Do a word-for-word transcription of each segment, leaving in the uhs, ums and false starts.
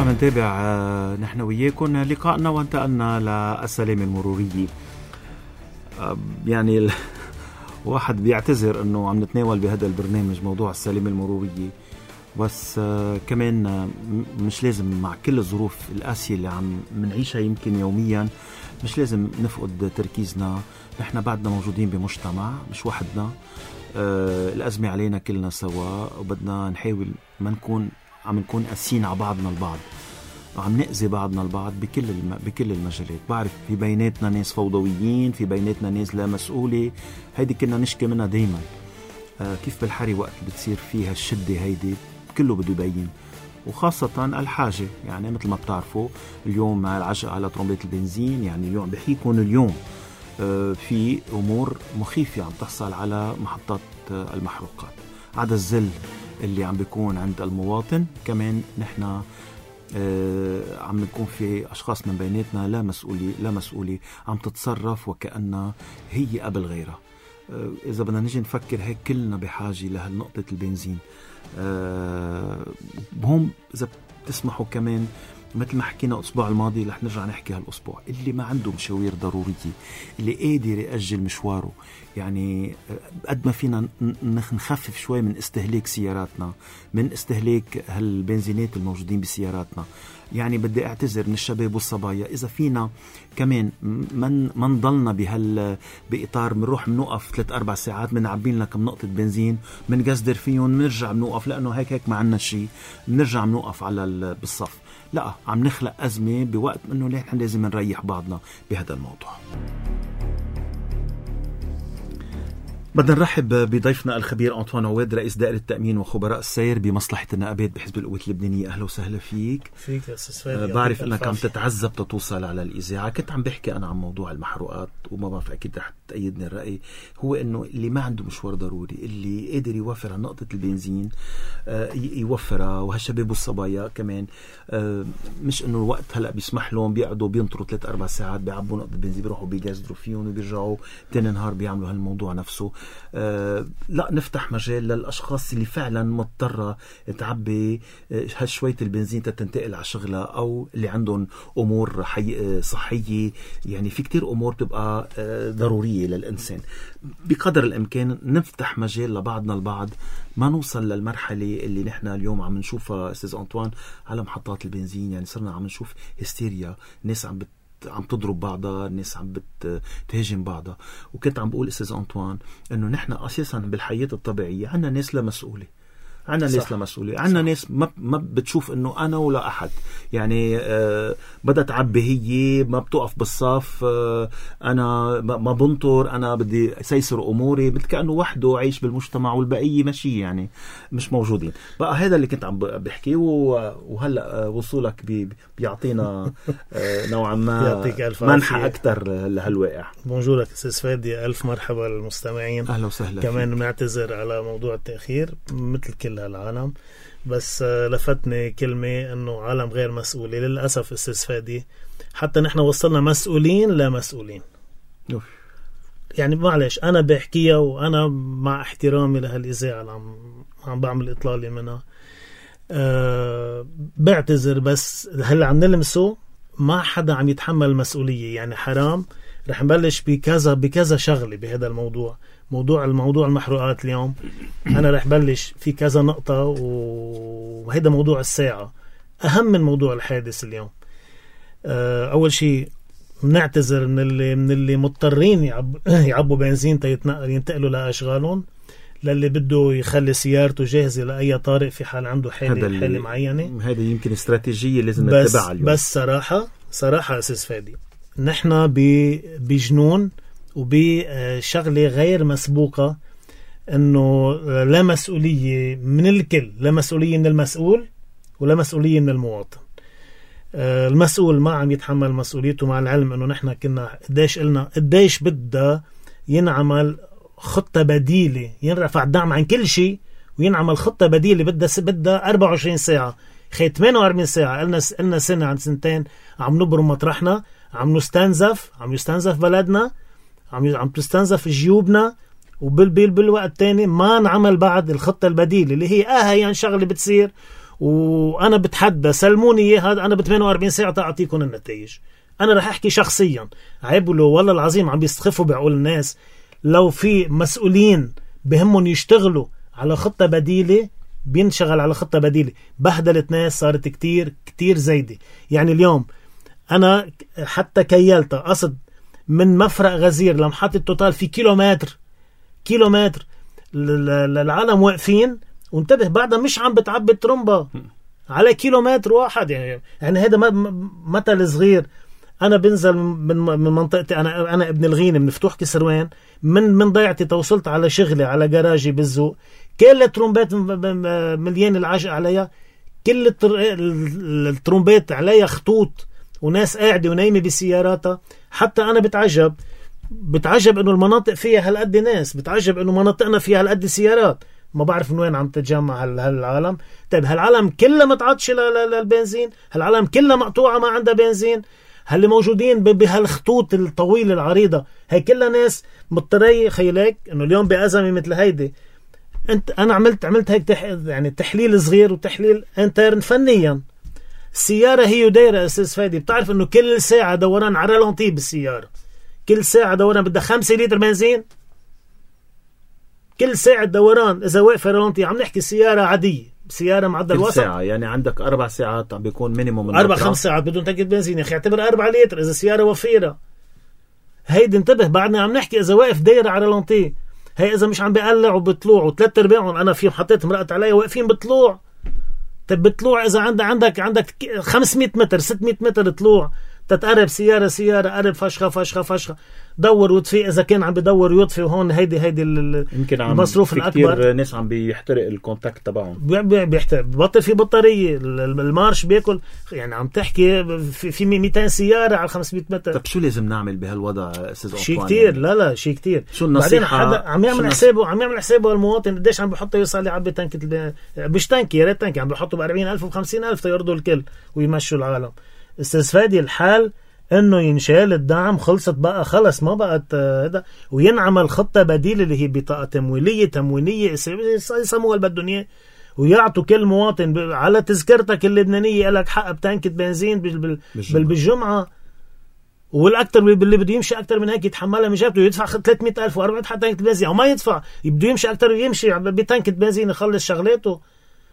عم نتابع نحن وياكم لقائنا وانتقلنا للسلامة المرورية. يعني الواحد بيعتذر انه عم نتناول بهذا البرنامج موضوع السلامة المرورية، بس كمان مش لازم مع كل الظروف القاسية اللي عم منعيشها يمكن يوميا مش لازم نفقد تركيزنا. نحن بعدنا موجودين بمجتمع مش وحدنا، آه الأزمة علينا كلنا سوا، وبدنا نحاول ما نكون عم نكون قاسيين على بعضنا البعض وعم نأذي بعضنا البعض بكل الم... بكل المجالات. بعرف في بيناتنا ناس فوضويين، في بيناتنا ناس لا مسؤولة، هيدي كنا نشكي منها دايما. آه كيف بالحري وقت بتصير فيها الشدة هيدي كله بده يبين، وخاصة الحاجة. يعني مثل ما بتعرفوا اليوم مع العجقة على طرمبات البنزين، يعني اليوم بحيكون اليوم آه في أمور مخيفة عم تحصل على محطات آه المحروقات. عدا الزل اللي عم بيكون عند المواطن، كمان نحن آه عم نكون في أشخاص من بيناتنا لا مسؤولي لا مسؤولي عم تتصرف وكأنها هي قبل غيرها. آه إذا بدنا نجي نفكر هيك كلنا بحاجة لهالنقطة البنزين. آه هم إذا بتسمحوا كمان مثل ما حكينا الأسبوع الماضي رح نرجع نحكي هالأسبوع، اللي ما عنده مشاوير ضرورية، اللي قادر يأجل مشواره، يعني قد ما فينا نخفف شوي من استهلاك سياراتنا، من استهلاك هالبنزينات الموجودين بسياراتنا. يعني بدي اعتذر من الشباب والصبايا إذا فينا كمان من من ضلنا بهال بإطار منروح منوقف ثلاث أربع ساعات منعبين لنا كم نقطة بنزين منقصدر فيهم منرجع منوقف لأنه هيك هيك ما عنا شيء منرجع منوقف على بالصف. لا، عم نخلق أزمة بوقت إنه نحن لازم نريح بعضنا بهذا الموضوع. بدنا نرحب بضيفنا الخبير أنطوان عواد، رئيس دائرة التأمين وخبراء السير بمصلحة النقابات بحزب القوات اللبنانية. أهلا وسهلا فيك. فيك يا أستاذ فادي. بعرف أنك عم تتعذب تتوصل على الإذاعة. كنت عم بحكي أنا عن موضوع المحروقات، وما بعرف أكيد رح تأيدني الرأي، هو إنه اللي ما عنده مشوار ضروري، اللي قادر يوفر على نقطة البنزين يوفرها، وهالشباب والصبايا كمان مش إنه الوقت هلأ بيسمح لهم بيقعدوا بينطروا ثلاث أربع ساعات بيعبوا نقطة بنزين بيروحوا بيجازدروا فيهم وبيرجعوا تاني نهار بيعملوا هالموضوع نفسه. أه لا، نفتح مجال للأشخاص اللي فعلا مضطرة تعبي هالشوية البنزين تتنتقل على شغلها، أو اللي عندهم أمور حي... صحية. يعني في كتير أمور تبقى أه ضرورية للإنسان. بقدر الإمكان نفتح مجال لبعضنا البعض، ما نوصل للمرحلة اللي نحن اليوم عم نشوفها أستاذ أنطوان على محطات البنزين. يعني صرنا عم نشوف هستيريا، ناس عم بت عم تضرب بعضها، الناس عم بتهاجم بعضها. وكنت عم بقول أستاذ أنطوان إنه نحن أساسا بالحياة الطبيعية عنا ناس لا مسؤولة، عنا ناس لا مسؤولة، عنا ناس ما ما بتشوف إنه أنا ولا أحد. يعني آه بدها تعبي هي ما بتوقف بالصف، آه أنا ما بنطر، أنا بدي سيسر أموري، كأنه وحده عايش بالمجتمع والبقية ماشي يعني مش موجودين. بقى هذا اللي كنت عم بحكيه، وهلأ وصولك بي بيعطينا آه نوعا ما منحة أكتر لهالواقع. بونجورك أستاذ فادي، ألف مرحبا للمستمعين. أهلا وسهلا. كمان بنعتذر على موضوع التأخير مثل كل هالعالم، بس لفتني كلمة انه عالم غير مسؤولة. للأسف استاذ فادي حتى نحن وصلنا مسؤولين لا مسؤولين. أوف. يعني معلش انا بحكيها، وانا مع احترامي لهالإذاعة اللي عم عم بعمل اطلالي منها أه بعتذر، بس هلا عم نلمسه ما حدا عم يتحمل المسؤولية. يعني حرام. رح نبلش بكذا بكذا شغلة بهذا الموضوع. موضوع الموضوع المحروقات اليوم أنا رح بلش في كذا نقطة، وهذا موضوع الساعة أهم من موضوع الحادث اليوم. أول شيء نعتذر من اللي من اللي مضطرين يعب يعبوا بنزين ينتقلوا لأشغالهم، للي بده يخلي سيارته جاهزة لأي طارئ في حال عنده حالة حالة معينة. هذا يمكن استراتيجية لازم نتبعها اليوم. بس صراحة صراحة أساس فادي نحن بجنون وبشغلة غير مسبوقة، انه لا مسؤولية من الكل، لا مسؤولية من المسؤول ولا مسؤولية من المواطن. المسؤول ما عم يتحمل مسؤوليته، مع العلم انه نحن كنا قديش قلنا قديش بدها ينعمل خطة بديلة، ينرفع الدعم عن كل شيء وينعمل خطة بديلة بدها بدها أربعة وعشرين ساعة، خي ثمانية وأربعين ساعة. قلنا قلنا سنة عن سنتين عم نبرم مطرحنا، عم نستنزف عم يستنزف بلدنا، عم عم تستنزف جيوبنا، وبال بالوقت تاني ما نعمل بعد الخطة البديلة اللي هي اه هي يعني شغلة بتصير وانا بتحدى سلموني اياه هذا، انا ب ثمانية وأربعين ساعه تعطيكم النتائج. انا رح احكي شخصيا، عيبوا والله العظيم عم بيستخفوا بعقول الناس. لو في مسؤولين بهمهم يشتغلوا على خطه بديله بينشغل على خطه بديله. بهدلت ناس صارت كتير كتير زايده. يعني اليوم انا حتى كيلتها قصد من مفرق غزير لمحطة توتال في كيلومتر كيلومتر العالم واقفين، وانتبه بعدها مش عم بتعبي ترمبة على كيلومتر واحد. يعني يعني هذا مثل صغير. انا بنزل من من منطقتي، انا انا ابن الغينة من فتوح كسروان، من من ضيعتي توصلت على شغلي على جراجي بالزوق، كل الترومبات مليان العجق عليها، كل الترومبات عليها خطوط وناس قاعدة ونايمة بسياراتها. حتى أنا بتعجب بتعجب إنه المناطق فيها هالقد ناس، بتعجب إنه مناطقنا فيها هالقد سيارات. ما بعرف من وين عم تتجمع هالعالم. طيب هالعالم كلها متعطش للبنزين، هالعالم كلها مقطوعة ما عندها بنزين، هاللي موجودين بهالخطوط الطويلة العريضة هي كلها ناس مضطرية. خيلك إنه اليوم بأزمة مثل هيدي، أنت أنا عملت عملت هيك تح يعني تحليل صغير وتحليل انترن فنيا. السيارة هي دايرة أستاذ فادي، بتعرف إنه كل ساعة دوران على رالونتي بالسيارة، كل ساعة دوران بدها خمسة لتر بنزين، كل ساعة دوران إذا واقفة رالونتي. عم نحكي سيارة عادية، سيارة معدل وسط. ساعة يعني عندك أربع ساعات عم بيكون مينيموم، أربع خمس ساعات بدون تنكة بنزين. يا أخي اعتبر أربعة لتر إذا سيارة وفيرة. هيدي انتبه بعدنا عم نحكي إذا واقف دايرة على رالونتي. هي إذا مش عم بيقلع وبطلوع، وثلاث أرباعهم أنا فيهم حطيت مرقت علي واقفين بطلوع. طب بطلوع إذا عندك عندك عندك خمسمية متر ستمية متر طلوع، تتقرب سيارة سيارة قرب فشخة فشخة فشخة، دور وطفي إذا كان عم بدور يطفي. وهون هيدي هيدي المصروف الأكبر. كتير ناس عم بيحترق الكونتاكت تبعهم، بيحترق ببطل في بطارية، المارش بياكل. يعني عم تحكي في في مئتين سيارة على خمسمية متر. طب شو لازم نعمل بهالوضع أستاذ أنطوان؟ شيء كتير. لا لا شيء كتير. شو النصيحة؟ بعدين حدا عم يعمل حسابه عم يعمل حسابه المواطن قديش عم بيحط يوصل يعبي تانكة الب... مش تانكي يا ريت تانكي، عم بيحطوا بأربعين ألف وخمسين ألف تيرضوا الكل ويمشوا العالم. استاذ فادي الحال انه ينشال الدعم، خلصت بقى خلص ما بقت هذا، وينعمل خطة بديلة اللي هي بطاقة تمويلية تموينية يسموها اللي بدهم اياه، ويعطوا كل مواطن على تذكرتك اللبنانية لك حق بتانكة بنزين بالجمعة. والاكثر اللي بده يمشي اكثر من هيك يتحملها من جابته، يدفع ثلاثمية ألف وأربعمية حتى تانكة بنزين، او ما يدفع بده يمشي اكثر ويمشي بتانكة بنزين يخلص شغلاته.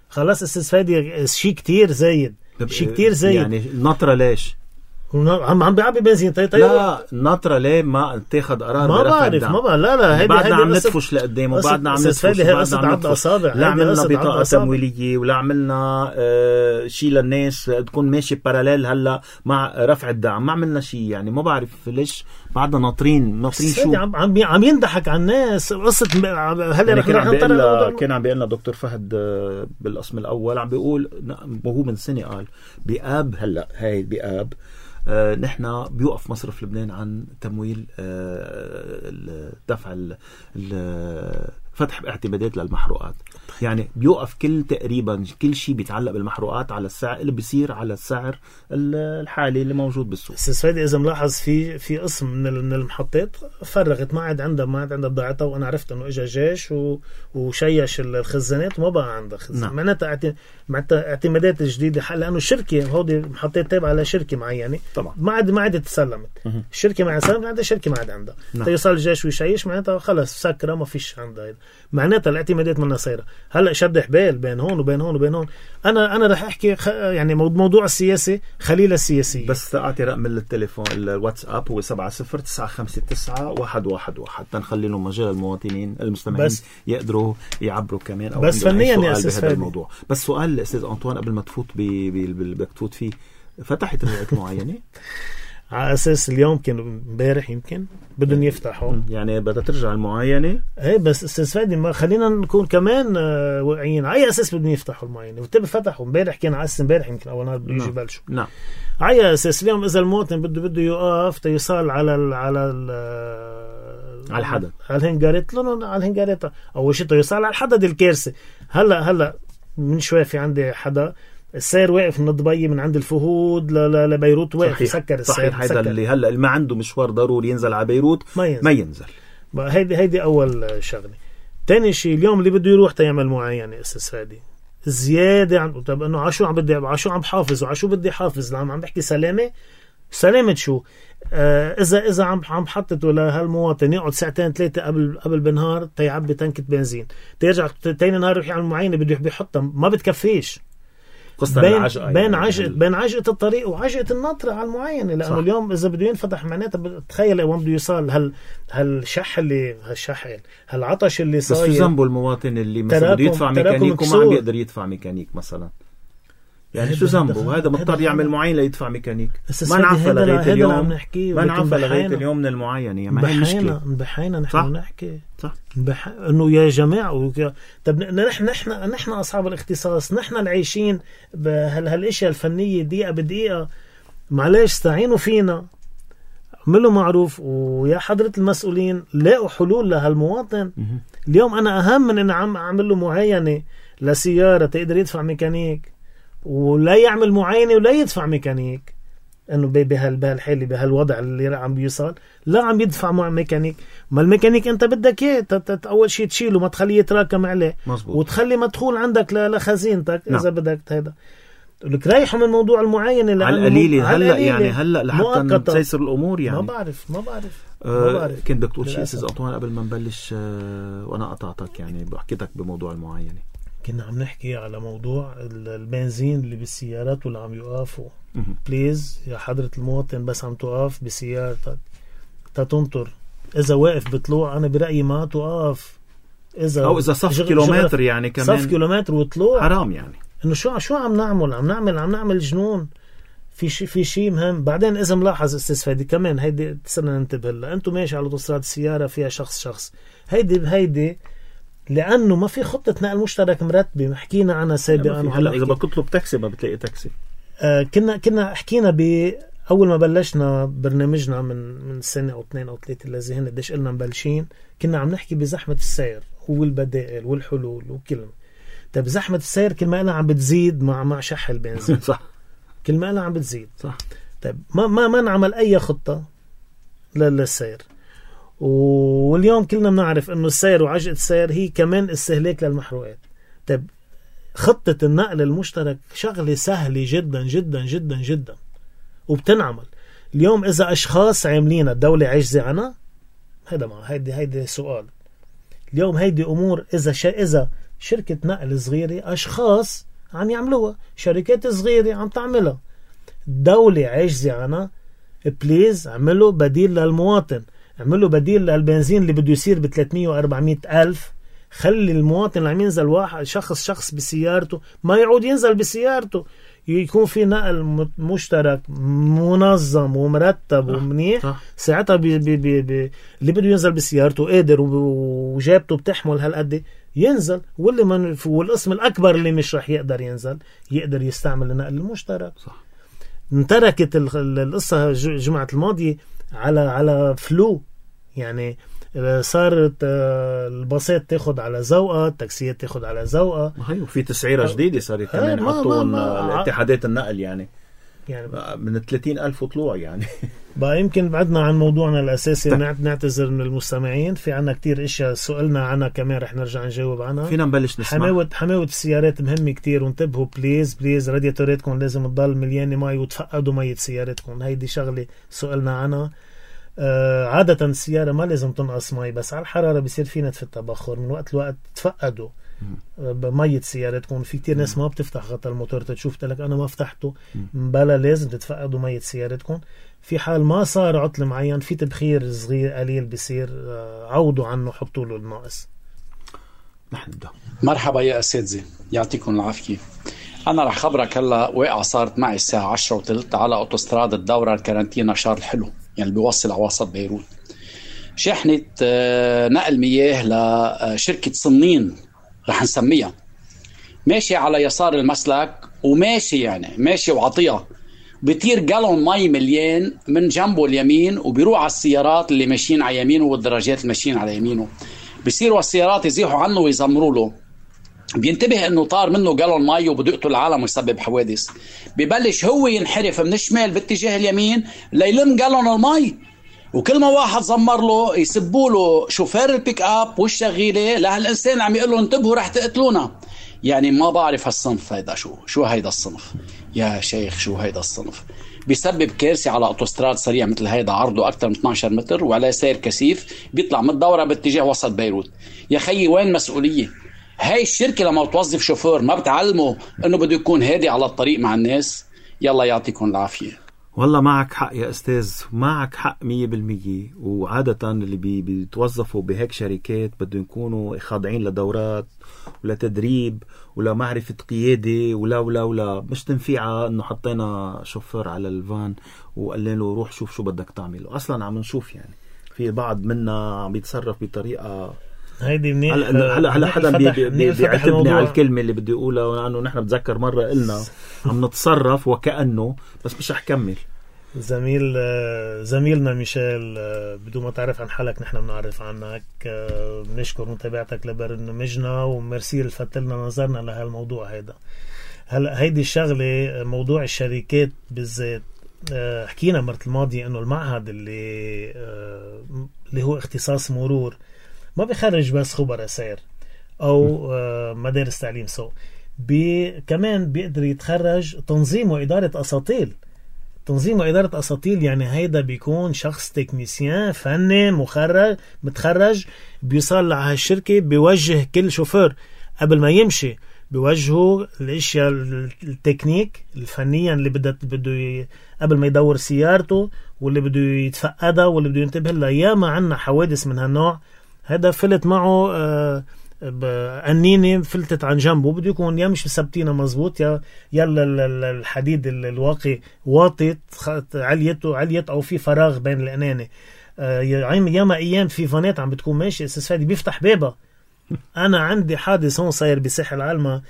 خلاص استاذ فادي شيء كتير زايد، شيء كتير زايد. يعني النطرة ليش عم عم بيعبي بنزين؟ طيب طيب لا النطرة ليه ما تاخد قرار؟ ما بعرف ما بعرف. لا لا هيدي بعدنا عم ندفش لقدام، وبعدنا عم ندفش، وبعدنا عم ندفش. لا عملنا بطاقة تمويلية، ولا عملنا آه شيء للناس تكون ماشي باراليل هلا مع رفع الدعم، ما عملنا شيء. يعني ما بعرف ليش بعدنا ناطرين ناطرين شو عم عم عم يندحك على الناس. قصة هلا يعني كان عم بيقول كان عم بيقول لنا دكتور فهد بالقسم الأول، عم بيقول وهو من سنة قال بآب هلا هاي بآب آه نحن بيوقف مصرف لبنان عن تمويل آه دفع فتح اعتمادات للمحروقات. يعني بيوقف كل تقريبا كل شيء بيتعلق بالمحروقات على السعر اللي بيصير على السعر الحالي اللي موجود بالسوق. استاذ فادي اذا ملاحظ في في قسم من المحطات فرغت، ما عاد عندها ما عاد عندها بضاعتها، وانا عرفت انه اجى جيش وشيش الخزانات وما بقى عندها خزانات. نعم. معناتها معناتها اعتمادات جديده لانه الشركه هودي محطات تابعه لشركه معينه طبعا ما عاد ما عاد تسلمت. الشركه ما عاد سلمت عندها، الشركه ما عاد عندها. نعم. يوصل الجيش ويشيش معناتها خلص سكره ما فيش عندها. معناتها الاعتمادات منها صايره. هلا شد حبال بين هون وبين هون وبين هون. انا انا رح احكي خ... يعني موضوع السياسي خليل السياسيه. بس اعطي رقم التليفون الواتساب هو سبعة صفر تسعة خمسة تسعة واحد واحد واحد تنخلي لهم مجال المواطنين المستمعين بس يقدروا يعبروا كمان او بس فنيا يا استاذ فادي الموضوع. بس سؤال الاستاذ أنطوان قبل ما تفوت بدك تفوت فيه، فتحت روايات معينه على اساس اليوم كان امبارح يمكن بدهم يفتحوا، يعني بدها ترجع المعاينه. ايه بس استاذ فادي ما خلينا نكون كمان واقعيين. على اي اساس بدهم يفتحوا المعاينه؟ وتبي فتحوا امبارح، كان على اساس امبارح يمكن اول نهار بده يجي يبلشوا. نعم. على اساس اليوم اذا المواطن بده بده يوقف تيصال على ال على ال على الحدد على الهنجارات لون على الهنجارات اول شيء تيصال على الحدد الكارثه. هلا هلا من شوي في عندي حدا السير واقف من دبي من عند الفهود لبيروت واقف يسكر السير. صحيح. هذا اللي هلا اللي ما عنده مشوار ضروري ينزل على بيروت ما ينزل, ما ينزل. هيدي هيدي اول شغله. ثاني شيء اليوم اللي بده يروح تيعمل معاينه استاذ فادي، زيادة عن طب انه عشو عم بدي عشو عم بحافظ وعشو بدي حافظ عم عم بحكي سلامة سلامة شو آه اذا اذا عم عم بحطته لهالمواطن يقعد ساعتين ثلاثة قبل قبل بالنهار تيعبي تنكة بنزين تيرجع تاني نهار يروح يعمل معينة بده بيحطها ما بتكفيش بين عجقة بين يعني عجقة بين عجقة الطريق وعجقة الناطرة على المعينة لأنه صح. اليوم إذا بده ينفتح معناتها بتخيل وين بده يوصل هال هالشح اللي هالشحن هالعطش اللي صاير بس شو ذنبه المواطن اللي مثلا بده يدفع ميكانيك وما عم يقدر يدفع ميكانيك مثلا يعني شو ذنبه هذا مضطر يعمل معين ليدفع ميكانيك ما نعرف لغاية اليوم ما نعرف لغاية اليوم من المعاينة يعني ما هي مشكلة بحينا نحن نحكي صح بح... انه يا جماعه وك... طب نحن نحن نحن اصحاب الاختصاص نحن العايشين بهالاشياء الفنيه دقيقه بدقيقه معلش استعينوا فينا اعملوا معروف ويا حضره المسؤولين لاقوا حلول لهالمواطن اليوم انا اهم من ان عم اعمل له معاينه لسياره تقدر يدفع ميكانيك ولا يعمل معاينه ولا يدفع ميكانيك انه بهالحاله بهالوضع اللي عم بيوصل لا عم يدفع مع ميكانيك ما الميكانيك انت بدك اياه اول شيء تشيله ما تخليه يتراكم عليه مزبوط. وتخلي مدخول عندك لخزينتك نعم. اذا بدك هذا لك رايحوا من موضوع المعاينه على القليله هلا يعني هلا لحتى تسير الامور يعني ما بعرف ما بعرف أه ما بعرف كنت بدك تقول شيء استاذ أنطوان قبل ما نبلش أه وانا قطعتك يعني بحكيتك بموضوع المعاينه كنا عم نحكي على موضوع البنزين اللي بالسيارات واللي عم يوقفوا بليز يا حضرة المواطن بس عم توقف بسيارتك تتنطر إذا واقف بطلوع أنا برأيي ما توقف إذا أو إذا صف كيلومتر يعني كمان صف كيلومتر وطلوع حرام يعني إنه شو شو عم نعمل عم نعمل عم نعمل جنون في شيء في شيء مهم بعدين إذا ملاحظ استاذ فادي كمان هيدي صرنا ننتبه لها أنتم ماشي على أوتوستراد السيارة فيها شخص شخص هيدي هيدي لأنه ما في خطة نقل مشترك مرتبة حكينا عنها سابقا هلا إذا بتطلب تاكسي ما بتلاقي تاكسي آه كنا كنا حكينا بأول ما بلشنا برنامجنا من من سنة أو اثنين أو ثلاثة اللي هن قديش قلنا مبلشين كنا عم نحكي بزحمة السير والبدائل والحلول وكلمة طيب زحمة السير كل ما قلنا عم بتزيد مع مع شح البنزين صح كل ما قلنا عم بتزيد صح طيب ما ما ما نعمل أي خطة للسير واليوم كلنا بنعرف انه السير وعجقة السير هي كمان استهلاك للمحروقات طيب خطة النقل المشترك شغلة سهلة جدا جدا جدا جدا وبتنعمل اليوم اذا اشخاص عاملين الدولة عجزة عنها هذا ما هيدي هيدي سؤال اليوم هيدي امور اذا ش... اذا شركة نقل صغيرة اشخاص عم يعملوها شركات صغيرة عم تعملها الدولة عجزة عنها بليز اعملوا بديل للمواطن اعملوا بديل للبنزين اللي بده يصير ب ثلاثمية وأربعمية ألف خلي المواطن اللي عم ينزل واحد شخص شخص بسيارته ما يعود ينزل بسيارته يكون في نقل مشترك منظم ومرتب ومنيح ساعتها بي بي بي بي اللي بده ينزل بسيارته قادر وجابته بتحمل هالقد ينزل واللي من والقسم الأكبر اللي مش رح يقدر ينزل يقدر يستعمل النقل المشترك صح. انتركت القصة جمعة الماضية على على فلو يعني صارت الباصات تاخد على ذوقها التاكسيات تاخد على ذوقها وفي تسعيرة جديدة صارت كمان حطوا الاتحادات النقل يعني يعني من ثلاثين ألف طلوع يعني بقى يمكن بعدنا عن موضوعنا الأساسي نعتذر من المستمعين في عنا كتير إشياء سؤالنا عنها كمان رح نرجع نجاوب عنها فينا نبلش نسمع حماوة حماوة السيارات مهمة كتير وانتبهوا بليز بليز رادياتوراتكم لازم تضل مليانة مي وتفقدوا مية سيارتكم هيدي شغلة سؤالنا عنها آه عادة السيارة ما لازم تنقص مي بس على الحرارة بيصير في نتف التبخر من وقت لوقت تفقدوا بمية سيارتكم في كتير ناس ما بتفتح غطاء الموتور تشوف لك أنا ما فتحته بلا لازم تتفقدوا مية سيارتكم في حال ما صار عطل معين في تبخير صغير قليل بيصير عوضوا عنه حطوا له الناقص. نحن نبدأ. مرحبا يا أساتذة يعطيكم العافية. أنا رح خبرك هلا واقعة صارت معي الساعة عشرة وثلث على أوتوستراد الدورة الكارنتينا شارل حلو يعني بيوصل على وسط بيروت شحنة نقل مياه لشركة صنين رح نسميها ماشي على يسار المسلك وماشي يعني ماشي وعطيها بيطير جالون مي مليان من جنبه اليمين وبيروح على السيارات اللي ماشيين على يمينه والدراجات اللي ماشيين على يمينه بيصيروا السيارات يزيحوا عنه ويزمروا له بينتبه انه طار منه جالون مي وبده يقتل العالم ويسبب حوادث ببلش هو ينحرف من الشمال باتجاه اليمين ليلم جالون المي وكل ما واحد زمر له يسبوا له شوفير البيك اب والشغيله لهالانسان عم يقول له انتبهوا رح تقتلونا يعني ما بعرف هالصنف هيدا شو شو هيدا الصنف يا شيخ، شو هيدا الصنف؟ بيسبب كارثة على أوتوستراد سريع مثل هيدا عرضه أكثر من اثني عشر متر وعلى سير كثيف بيطلع من الدورة باتجاه وسط بيروت. يا خيي وين مسؤولية؟ هاي الشركة لما توظف شوفور ما بتعلمه انه بده يكون هادي على الطريق مع الناس؟ يلا يعطيكم العافية. والله معك حق يا أستاذ، معك حق مية بالمية. وعادة اللي بي بيتوظفوا بهيك شركات بدهم يكونوا خاضعين لدورات ولا تدريب ولا معرفة قيادة ولا ولا ولا مش تنفيعة انه حطينا شوفور على الفان وقال له روح شوف شو بدك تعمله. اصلا عم نشوف يعني في بعض منا عم يتصرف بطريقة هيدي منيح. هلا هلا هلا حدا بي بي بيعتبني على الكلمة اللي بدي اقولها، لانه نحن بتذكر مرة قلنا عم نتصرف وكأنه، بس مش رح كمل. زميل زميلنا ميشيل، بدون ما تعرف عن حالك نحن بنعرف عنك. بنشكر متابعتك لبرنامجنا وميرسي لفتت لنا نظرنا لهالموضوع هيدا. هلا هيدي الشغله موضوع الشركات بالذات، حكينا مرة الماضية انه المعهد اللي اللي هو اختصاص مرور ما بيخرج بس خبراء سير او مدارس تعليم سوق، بي كمان بيقدر يتخرج تنظيم واداره اساطيل. تنظيم وإدارة أساطيل يعني هيدا بيكون شخص تكنيسيان فني مخرج متخرج بيوصل على هالشركة، بيوجه كل شوفور قبل ما يمشي، بيوجهه الاشياء التكنيك الفنية اللي بده بده قبل ما يدور سيارته واللي بده يتفقدها واللي بده ينتبه لها. ياما عنا حوادث من هالنوع. هذا فلت معه آه قنينة فلتت عن جنبه، بده يكون يا مش مثبتينها مزبوط يا يلا الحديد الواقي واطت عليته عليت او في فراغ بين القنانة. آه ياما ايام في فانات عم بتكون ماشي استاذ فادي بيفتح بابها. انا عندي حادث هون صاير بساحل العلمة،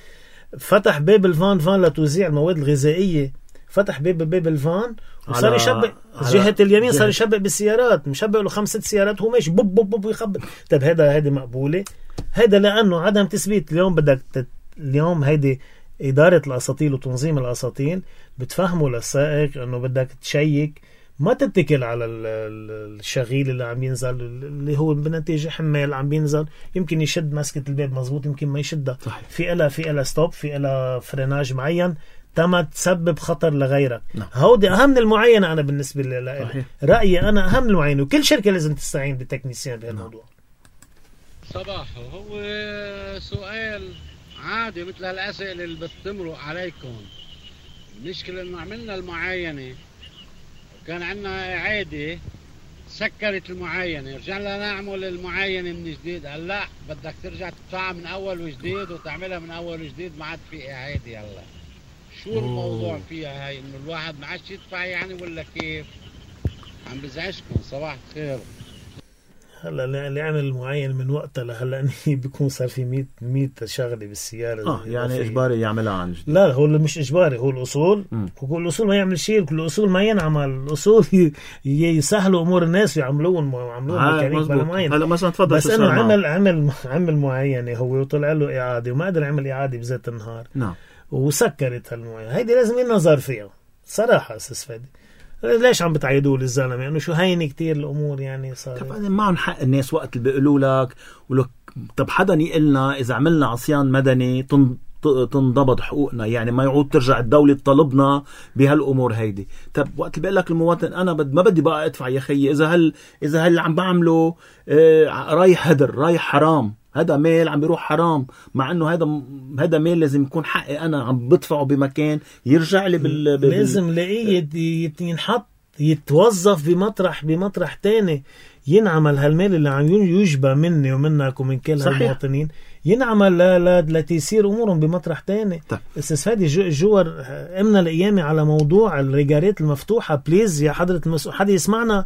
فتح باب الفان فان لتوزيع المواد الغذائية، فتح باب باب الفان وصار يشبق جهة اليمين، صار يشبق بالسيارات، مشبق له خمس ست سيارات هو ماشي بوب بوب بوب يخبط. طب هذا هذه مقبولة؟ هذا لأنه عدم تثبيت. اليوم بدك تت... اليوم هيدي إدارة الأساطيل وتنظيم الأساطيل بتفهموا للسائق أنه بدك تشيك، ما تتكل على الشغيل اللي عم ينزل اللي هو بنتيجة حمال عم بينزل، يمكن يشد مسكة الباب مزبوط يمكن ما يشدها، في إلا في إلا ستوب، في إلا فريناج معين تما تسبب خطر لغيرك. نعم. هودي أهم من المعينة. أنا بالنسبة لي رأيي أنا أهم من المعينة، وكل شركة لازم تستعين بتكنيسيان بهالموضوع. صباح هو سؤال عادي مثل هالأسئلة اللي بتمرق عليكم. المشكلة إنه عملنا المعاينة كان عندنا إعادة سكرت المعاينة، رجعنا نعمل المعاينة من جديد. قال لا بدك ترجع تدفعها من أول وجديد وتعملها من أول وجديد، ما عاد في إعادة. هلا شو الموضوع فيها هاي؟ إنه الواحد ما عادش يدفع يعني ولا كيف؟ عم بزعجكم. صباح الخير. هلا اللي عمل معين من وقتها لهلا بيكون صار في مية مية شغله بالسياره. اه يعني اجباري يعملها عن جديد؟ لا هو مش اجباري، هو الاصول. هو الاصول ما يعمل شيء، كل الاصول ما ينعمل. الاصول يسهلوا امور الناس ويعملوهم ويعملوهم ميكانيك بلا معين. هلا مثلا تفضل. بس انه عمل عمل عمل معينه هو وطلع له اعاده وما قدر يعمل اعاده بذات النهار. نعم. وسكرت هالمعينه. هيدي لازم ينظر فيها صراحه استاذ فادي. ليش عم بتعيدوا للزلمه؟ انه يعني شو هينه كتير الامور يعني صار. طب معهم حق الناس وقت اللي بيقولوا لك ولك طب حدا يقلنا اذا عملنا عصيان مدني تنضبط حقوقنا، يعني ما يعود ترجع الدوله تطالبنا بهالامور هيدي. طب وقت اللي بيقول لك المواطن انا بد ما بدي بقى ادفع يا خيي، اذا هل اذا هل عم بعمله آه رايح هدر رايح حرام، هذا ميل عم بيروح حرام، مع انه هذا هذا ميل لازم يكون حقي انا عم بدفعه بمكان يرجع لي بال, بال... لازم لاقيه ينحط يتوظف بمطرح بمطرح تاني، ينعمل هالمال اللي عم يجبى مني ومنك ومن كل هالمواطنين، ينعمل لا لا لتيسير امورهم بمطرح تاني. استاذ فادي جوار امنا الايامي على موضوع الريجارات المفتوحه، بليز يا حضره المسؤول حدا يسمعنا.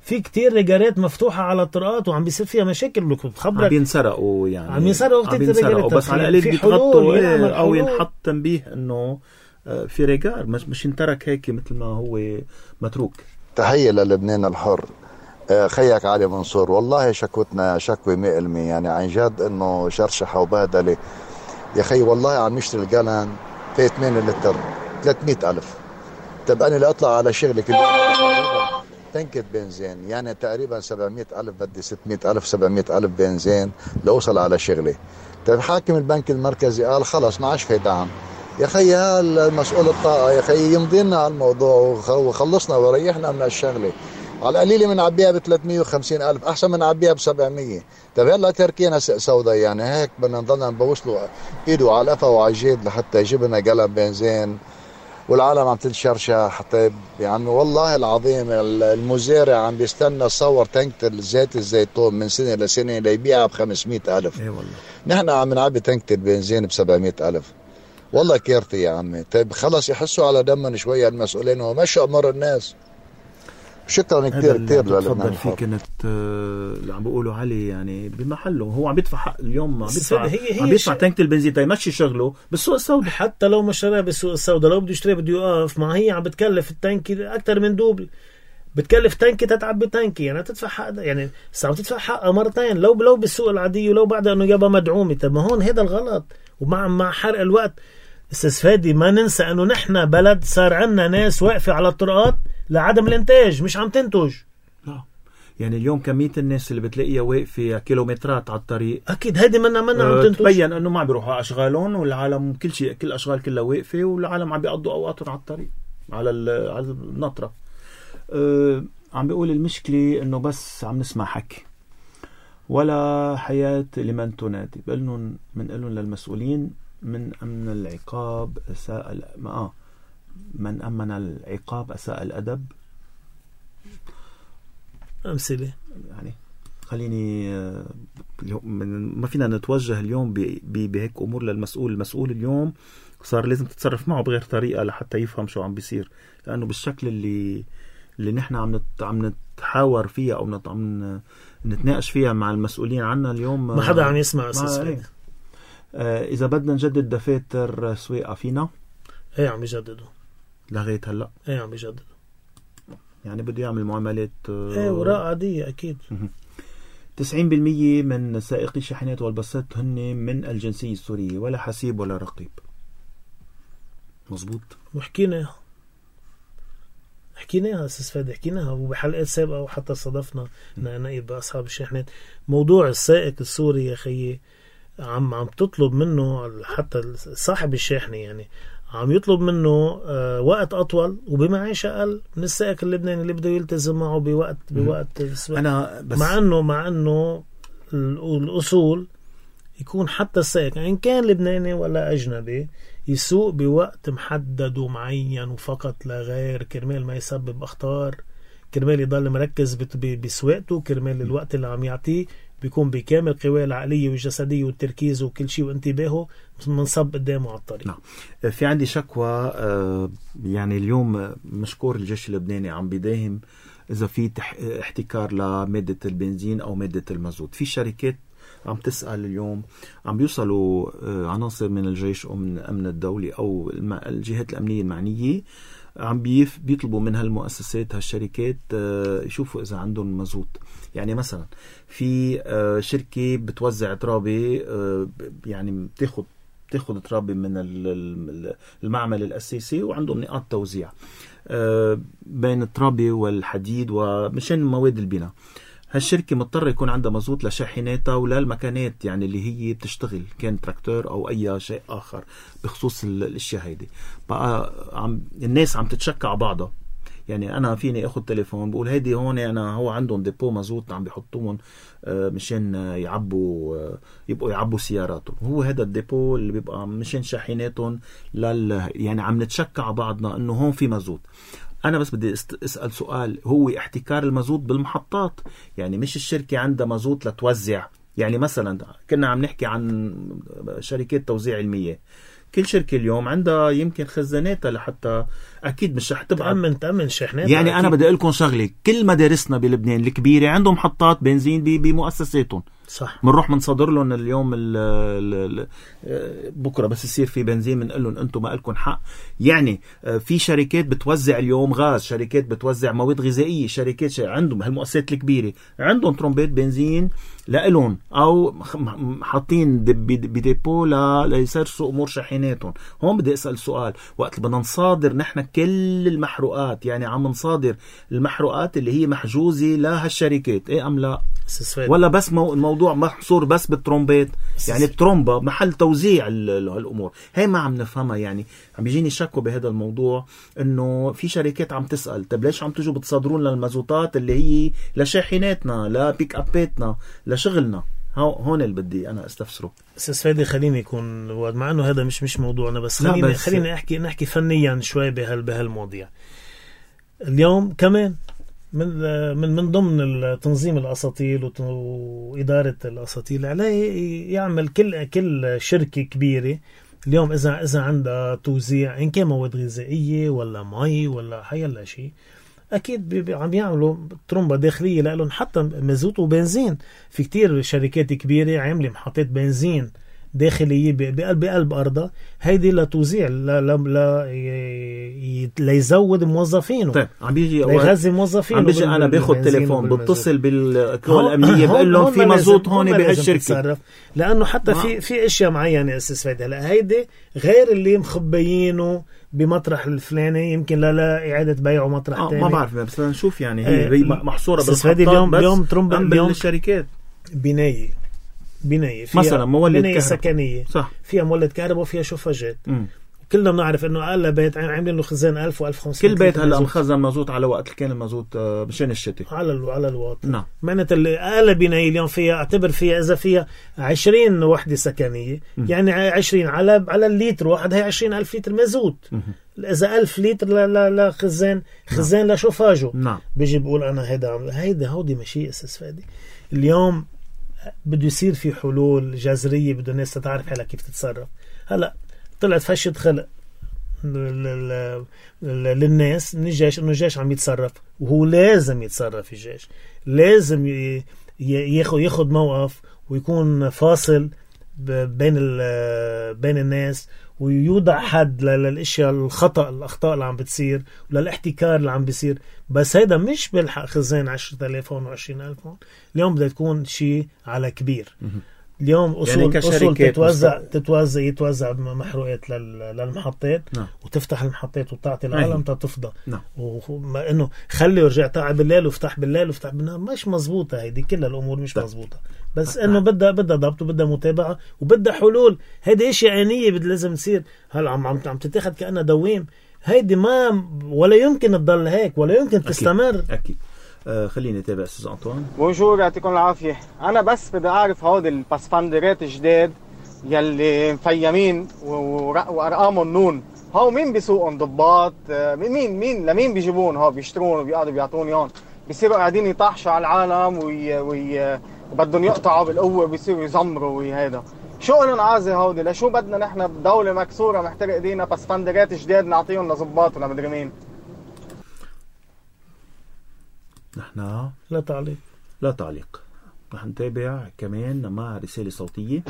في كتير ريجارات مفتوحة على الطرقات وعم بيصير فيها مشاكل. بخبرك عم ينسرقوا يعني عم ينسرقوا عم ينسرقوا بس على القليل بيتغطوا او ينحط تنبيه انه في ريجار مش مش ينترك هيك مثل ما هو متروك. تحية للبنان الحر. خيك علي منصور، والله شكوتنا شكوى مئة بالمئة يعني عن جد انه شرشحة وبهدلة يا خي. والله عم نشتري الجالان في ثمانية لتر ثلاثمئة ألف. طب انا لاطلع على شغلي كل تنكة بنزين يعني تقريبا سبعمئة ألف، بدي ستمئة ألف سبعمئة ألف بنزين لأوصل على شغلي. طيب حاكم البنك المركزي قال خلص ما عادش في دعم. يا خي المسؤول الطاقة يا خي يمضي لنا على الموضوع وخلصنا وريحنا من الشغلة. على القليلة من عبيها ب ثلاثمية وخمسين ألف أحسن من عبيها ب سبعمية. طيب هلا تركينا سوداء يعني هيك بدنا نضلنا نبوسله ايده على القفا وعلى الجيد لحتى يجيب لنا قلم بنزين والعالم عم تنشرشح. طيب يا عمي والله العظيم المزارع عم بيستنى صور تنكة زيت الزيتون من سنة لسنة ليبيعها ب خمسمية ألف. اي والله نحن عم نعبي تنكة البنزين ب سبعمية ألف. والله كيرتي يا عمي. طيب خلص يحسوا على دمنا شوية المسؤولين ومشوا أمر الناس. شكرا كثير كثير للبنان. في كانت اللي عم بيقولوا علي يعني بمحله هو عم بيدفع حق اليوم عم بيدفع هي هي عم بيدفع تنكة البنزين تيمشي شغله بالسوق السوداء. حتى لو ما اشتراها بالسوق السوداء لو بده يشتريها بده يوقف ما هي عم بتكلف التنكي اكثر من دوبل. بتكلف تنكي تتعبي تنكي يعني تدفع حق يعني عم تدفع حقها مرتين لو لو بالسوق العادي ولو بعد انه جابها مدعومه. طب ما هون هذا الغلط. ومع مع حرق الوقت استاذ فادي ما ننسى انه نحن بلد صار عندنا ناس واقفه على الطرقات لعدم الانتاج مش عم تنتج. لا يعني اليوم كمية الناس اللي بتلاقيها واقفة كيلومترات على الطريق اكيد هيدي منا منا عم تنتج. تبين انه ما عم بيروحوا على اشغالهم والعالم كل شيء كل اشغال كلها واقفة والعالم عم بيقضوا اوقاتهم على الطريق على على النطرة. أه عم بيقول المشكلة انه بس عم نسمع حكي ولا حياة لمن تنادي. بقلن منقلن للمسؤولين من امن العقاب اساء اه من امن العقاب اساء الادب. امثله يعني خليني ما فينا نتوجه اليوم بهيك امور للمسؤول. المسؤول اليوم صار لازم تتصرف معه بغير طريقه لحتى يفهم شو عم بيصير لانه بالشكل اللي اللي نحن عم نت... عم نتحاور فيها او نت... عم نتناقش فيها مع المسؤولين عنا اليوم ما حدا عم يسمع اساس. آه اذا بدنا نجدد دفاتر سواقه فينا ايه عم يجددوا لغايه هلا. ايه عم يجددوا يعني بده يعمل معاملات آه ايه وراء عاديه اكيد. تسعين بالمية من سائقي الشاحنات والباصات هن من الجنسيه السوريه ولا حسيب ولا رقيب. مزبوط. وحكينا حكيناها استاذ فادي حكيناها وبحلقات سابقه وحتى صادفنا نائب باصحاب الشاحنات موضوع السائق السوري يا خيي. عم عم تطلب منه حتى صاحب الشاحنه يعني عم يطلب منه آه وقت اطول وبمعيشه اقل من السائق اللبناني اللي بده يلتزم معه بوقت بوقت انا بس مع انه مع انه الاصول يكون حتى السائق ان يعني كان لبناني ولا اجنبي يسوق بوقت محدد ومعين وفقط لا غير كرمال ما يسبب اخطار كرمال يضل مركز بسواقته كرمال الوقت اللي عم يعطيه بيكون بكامل قواه العقلية والجسدية والتركيز وكل شيء وانتباهه منصب قدامه على الطريق. نعم. في عندي شكوى يعني اليوم مشكور الجيش اللبناني عم بيداهم إذا في احتكار لمادة البنزين أو مادة المازوت. في شركات عم تسأل اليوم عم بيوصلوا عناصر من الجيش أو من أمن الدولي أو الجهات الأمنية المعنية عم بيطلبوا من هالمؤسسات هالشركات يشوفوا إذا عندهم مازوت. يعني مثلا في شركة بتوزع ترابي يعني بتاخد بتاخد ترابي من المعمل الأساسي وعندهم نقاط توزيع بين الترابي والحديد ومشان مواد البناء. هالشركة مضطرة يكون عندها مازوت لشاحناتها ولا المكانات يعني اللي هي بتشتغل كان تراكتور أو أي شيء آخر بخصوص الاشياء هيدي. بقى عم الناس عم تتشكع بعضها. يعني أنا فيني أخذ تليفون بقول هيدي هون أنا هو عندهم ديبو مازوت عم بيحطوهم مشان يعبوا يبقوا يعبوا سياراتهم. هو هذا الديبو اللي بيبقى مشان شاحناتهم لل يعني عم نتشكع بعضنا إنه هون في مازوت. أنا بس بدي أسأل سؤال هو احتكار المازوت بالمحطات يعني مش الشركة عندها مازوت لتوزع. يعني مثلا كنا عم نحكي عن شركات توزيع المياه كل شركة اليوم عندها يمكن خزاناتها لحتى أكيد مش رح تبقى تأمن تأمن شحناتها. يعني أكيد. أنا بدي أقول لكم شغلة كل مدارسنا بلبنان الكبيرة عندهم محطات بنزين بمؤسساتهم صح. منروح منصدر لهم اليوم ال ال بكرة بس يصير في بنزين منقول لهم أنتم ما لكم حق. يعني في شركات بتوزع اليوم غاز شركات بتوزع مواد غذائية شركات عندهم هالمؤسسات الكبيرة عندهم ترمبات بنزين لإلهم أو حاطين بديبو ليسرسوا أمور شاحناتهم. هون بدي أسأل سؤال، وقت بدنا نصادر نحن كل المحروقات، يعني عم نصادر المحروقات اللي هي محجوزة لهالشركات إيه أم لا؟ ولا بس مو الموضوع محصور بس بالترومبات؟ يعني الترومبة محل توزيع الأمور هاي ما عم نفهمها. يعني عم بيجيني شكوى بهذا الموضوع إنه في شركات عم تسأل طب ليش عم تجوا بتصادرون لنا المازوتات اللي هي لشاحناتنا لبيك أباتنا لشغلنا؟ هون اللي بدي أنا استفسره. أستاذ فادي خليني يكون مع إنه هذا مش مش موضوعنا، بس خليني بس خليني أحكي نحكي فنيا شوي بهال بهالمواضيع. اليوم كمان من من من ضمن تنظيم الأساطيل وإدارة الأساطيل عليه يعمل كل كل شركة كبيرة اليوم إذا إذا عندها توزيع إن كان مواد غذائية ولا مي ولا حيلا شيء، أكيد عم يعملوا ترومبة داخلية لهم حتى مازوت وبنزين. في كتير شركات كبيرة عاملة محطات بنزين داخلية بقلب بقلب أرضها، هيدي لتوزيع لا لا لا ليزود موظفينه. طيب عم بيجي ليغذي موظفينه. عم بيجي أنا باخد تليفون بتصل بالقوى الأمنية بقول لهم في مازوت هون بهالشركة، لأنه حتى في في أشياء معينة أساس فادي. هلا هيدي غير اللي مخبيينه بمطرح الفلاني يمكن لا لا إعادة بيعه مطرح آه تاني. ما بعرف بس نشوف يعني هي آه محصورة بالمحطات اليوم بس اليوم ترومبة اليوم الشركات بناية بناية فيها مثلا مولد بناية سكنية صح. فيها مولد كهرباء وفيها شوفاجات. كلنا بنعرف انه اقل بيت عاملين له خزان ألف وألف وخمسمية. كل بيت هلا مخزن مازوت على وقت كان المازوت مشان الشتاء على ال على الواط. نعم. معناتها اقل بناية اليوم فيها اعتبر فيها اذا فيها عشرين وحدة سكنية م. يعني عشرين على على الليتر واحد هي عشرين ألف لتر مازوت. م. اذا ألف لتر لا لا لا خزان خزان نعم. لشوفاجه. نعم. بيجي بقول انا هيدا هيدا هودي ماشي اساس فادي. اليوم بده يصير في حلول جذرية، بده الناس تعرف حالها كيف تتصرف. هلا طلعت فشة خلق للناس من الجيش انه الجيش عم يتصرف، وهو لازم يتصرف. الجيش لازم ياخذ ياخذ موقف ويكون فاصل بين بين الناس، ويوضع حد للاشياء الخطأ الاخطاء اللي عم بتصير وللاحتكار اللي عم بيصير. بس هيدا مش بالحق خزان عشرة آلاف هون وعشرين ألف هون. اليوم بدها تكون شيء على كبير. اليوم أصول, يعني أصول تتوزع تتوزع يتوزع محروقات للمحطات. نعم. وتفتح المحطات وتعطي العالم تتفضى. نعم. وما إنه خلي ورجع تعب بالليل وفتح بالليل وفتح بالنهار مش مزبوطة. هيدي كل الأمور مش مزبوطة. بس إنه بدها بدها ضبط وبدها متابعة وبدها حلول. هيدي أشياء آنية بد لازم تصير. هلا عم عم عم تتاخد كأنها دوام. هيدي ما ولا يمكن تضل هيك ولا يمكن تستمر. أكيد. أكيد. آه خليني اتابع استاذ انطوان. بونجور يعطيكم العافيه. انا بس بدي اعرف هود الباسفاندرات الجداد يلي مفيمين وارقامهم نون، هاو مين بيسوقهم؟ ضباط؟ مين مين لمين بيجيبون؟ هاو بيشترون وبيقعدوا بيعطوني هون، بيصيروا قاعدين يطحشوا على العالم وي وي وبدهم يقطعوا بالقوه بيصيروا يزمروا وهذا. شو لهم عازه هودي؟ لشو بدنا نحن بدوله مكسوره محترق ايدينا باسفاندرات جداد نعطيهم لضباط ولا مدري مين؟ نحن لا تعليق لا تعليق. رح نتابع كمان مع رسالة صوتية.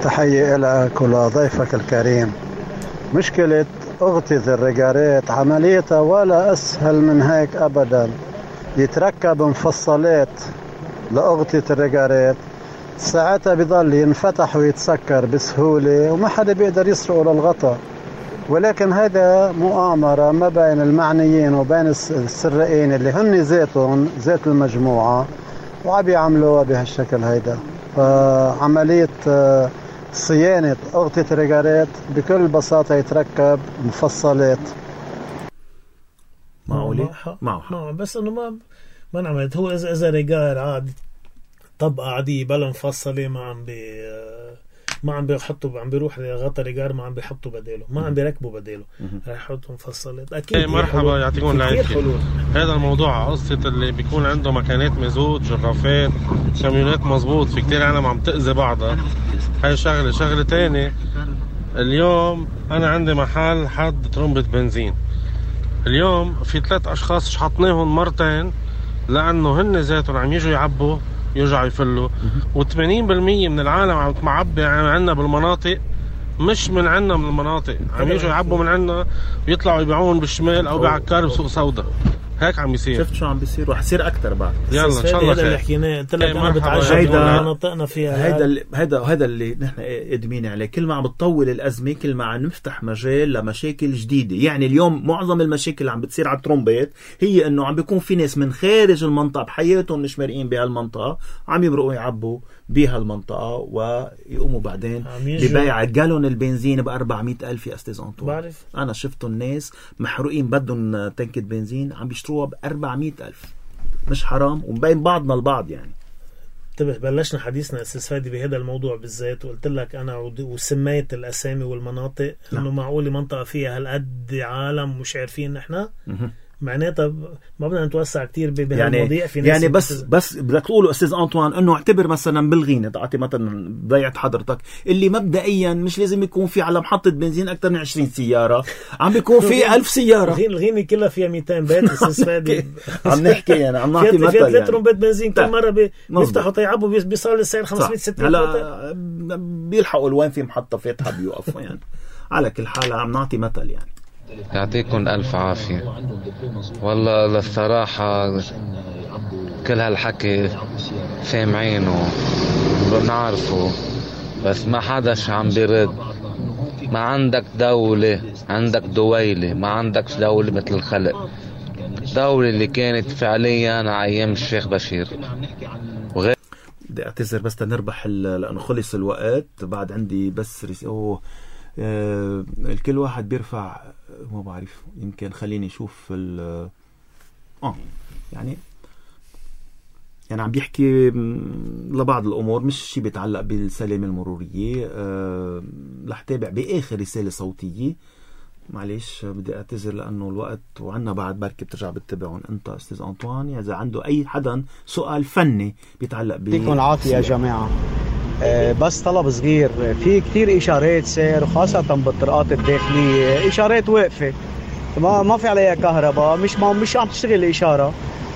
تحية لك ولضيفك الكريم. مشكلة أغطية الرجارات عمليتها ولا أسهل من هيك أبدا. يتركب مفصلات لأغطية الرجارات، ساعتها بيضل ينفتح ويتسكر بسهولة وما حدا بيقدر يسرقه للغطاء. ولكن هذا مؤامرة ما بين المعنيين وبين السرقين اللي هن ذاتهم ذات المجموعة وعم يعملوها بهالشكل هيدا. فعملية صيانة أغطية الرجارات بكل بساطة يتركب مفصلات. معقولة؟ معه بس انه ما ما نعملت. هو اذا اذا رجار عادي طبقة عادية بلا مفصلة ما عم بي ما عم بيحطوا عم بيروح غطا رجار ما عم بيحطوا بداله ما عم بيركبوا بداله رح يحطوا مفصلات. اكيد ايه مرحبا يعطيكم العافيه. هذا الموضوع قصه اللي بيكون عنده مكانات مازوت جرافات كاميونات مزبوط في كتير عالم عم تأذي بعضها. هاي شغله شغله تانية. اليوم انا عندي محل حد ترمبة بنزين. اليوم في ثلاث اشخاص شحطناهم مرتين لانه هن ذاتهم عم يجوا يعبوا يرجعوا يفلوا، وثمانين بالمية من العالم عم تعبي عنا بالمناطق مش من عنا من المناطق، عم يجوا يعبوا من عنا ويطلعوا يبيعون بالشمال او بعكار بسوق سودا. هيك عم يصير. شفت شو عم بيصير وح يصير اكثر بعد. يلا ان شاء الله هذا اللي خير. حكيناه قلت لك انا بتعجب هيدا مناطقنا فيها هيدا اللي هيدا هيدا اللي نحن قادمين عليه. كل ما عم بتطول الازمه كل ما عم نفتح مجال لمشاكل جديده. يعني اليوم معظم المشاكل اللي عم بتصير على الترومبيت هي انه عم بيكون في ناس من خارج المنطقه بحياتهم مش مرقين بهالمنطقه عم يمرقوا يعبوا بهالمنطقه ويقوموا بعدين ببيع جالون البنزين ب أربعمية ألف. يا استاذ انطوان بعرف انا شفتوا الناس محروقين بدهم تنكة بنزين عم بيشتروها ب أربعمية ألف. مش حرام ومبين بعضنا البعض يعني. انتبه بلشنا حديثنا استاذ فادي بهذا الموضوع بالذات وقلت لك انا وسميت الاسامي والمناطق انه معقول منطقه فيها هالقد عالم مش عارفين نحن معناتها ما بدنا نتوسع كتير بهالمواضيع. يعني في ناس يعني بس بس بدك تقولوا استاذ انطوان انه اعتبر مثلا بالغينه تعطي مثلا ضيعت حضرتك اللي مبدئيا مش لازم يكون في على محطه بنزين اكثر من عشرين سياره عم بيكون في ألف سياره. الغينه كلها فيها مئتين بيت استاذ فادي. عم نحكي يعني عم نعطي مثل فيها يعني ثلاث بنزين كل مره بيفتحوا طيعبوا بيصير السعر خمسمية ستمية. هلا بيلحقوا وين في محطه فاتحه بيوقفوا يعني. على كل حال عم نعطي مثل يعني. يعطيكم ألف عافية. والله للصراحة كل هالحكي سامعينه بنعرفه بس ما حداش عم بيرد. ما عندك دولة عندك دويلة ما عندك دولة مثل الخلق. دولة اللي كانت فعليا على أيام الشيخ بشير وغير. بدي اعتذر بس تنربح لأنه خلص الوقت. بعد عندي بس رس... أوه آه الكل واحد بيرفع ما بعرف يمكن خليني اشوف ال اه يعني يعني عم بيحكي لبعض الامور مش شيء بيتعلق بالسلامه المروريه. أه رح تابع باخر رساله صوتيه. معلش بدي اعتذر لانه الوقت وعنا بعد بركي بترجع بتتبعون انت استاذ انطوان. اذا عنده اي حدا سؤال فني بيتعلق ب يعطيكم العافيه يا جماعه. بس طلب صغير. في كتير إشارات سير وخاصة بالطرقات الداخلية إشارات واقفة ما ما في عليها كهرباء مش ما مش عم تشتغل الإشارة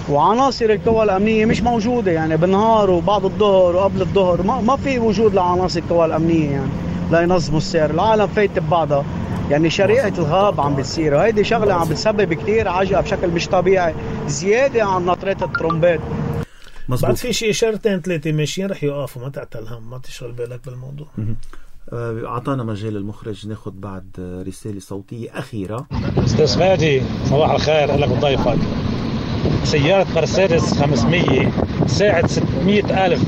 وعناصر القوى الأمنية مش موجودة يعني بالنهار وبعد الظهر وقبل الظهر ما ما في وجود لعناصر القوى الأمنية يعني لا ينظموا السير. العالم فايت ببعضها يعني شريعة الغاب عم بتصير وهيدي شغلة عم بتسبب كتير عجقة بشكل مش طبيعي زيادة عن نطرات الترومبات. مزبوط. بعد في شيء إشارتين ثلاثة ماشيين رح يوقفوا ما تعتل هم ما تشغل بالك بالموضوع. أعطانا مجال المخرج ناخد بعد رسالة صوتية أخيرة. أستاذ فادي صباح الخير لك وضيفك. سيارة مرسيدس خمسمية ساعة ستمية ألف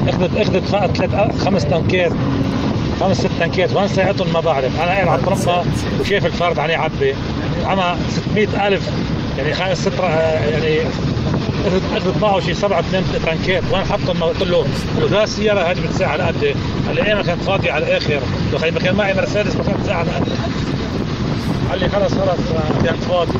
اخذت اخذت ثلاث خمس تنكات خمس ست تنكات وين ساعتهم ما بعرف. أنا قاعد على الطرمبة وشايف الفرد عليه عبي أنا ستمية ألف يعني خمس ست يعني اخذت معه شيء سبعة ثمان ترنكات وين حطهم. قلت له وذا السياره هذه بتساعد على قد اللي كانت فاضيه على الاخر لو ما كان معي مرسيدس ما كانت تساعد على قد. قال لي خلص خلص كانت فاضي.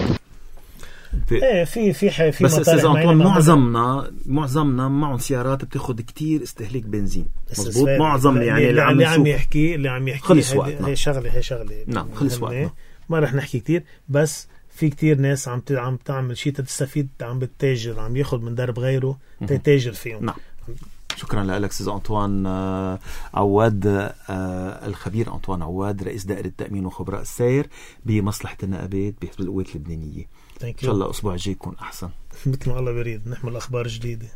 ايه في في في في بس استاذ انطوان معظمنا معظمنا معهم سيارات بتاخذ كتير استهلاك بنزين. مزبوط معظم يعني اللي عم, عم يحكي اللي عم يحكي خلص وقتنا. هي شغله هي شغله نعم خلص وقتنا ما رح نحكي كتير بس في كتير ناس عم عم تعمل شيء تستفيد عم بتتاجر عم ياخذ من درب غيره تتاجر فيهم. نعم شكرا لك استاذ انطوان عواد الخبير انطوان عواد رئيس دائره التامين وخبراء السير بمصلحه النقابات بحزب القوات اللبنانيه. ان شاء الله الاسبوع الجاي يكون احسن مثل ما الله بريد نحمل اخبار جديده.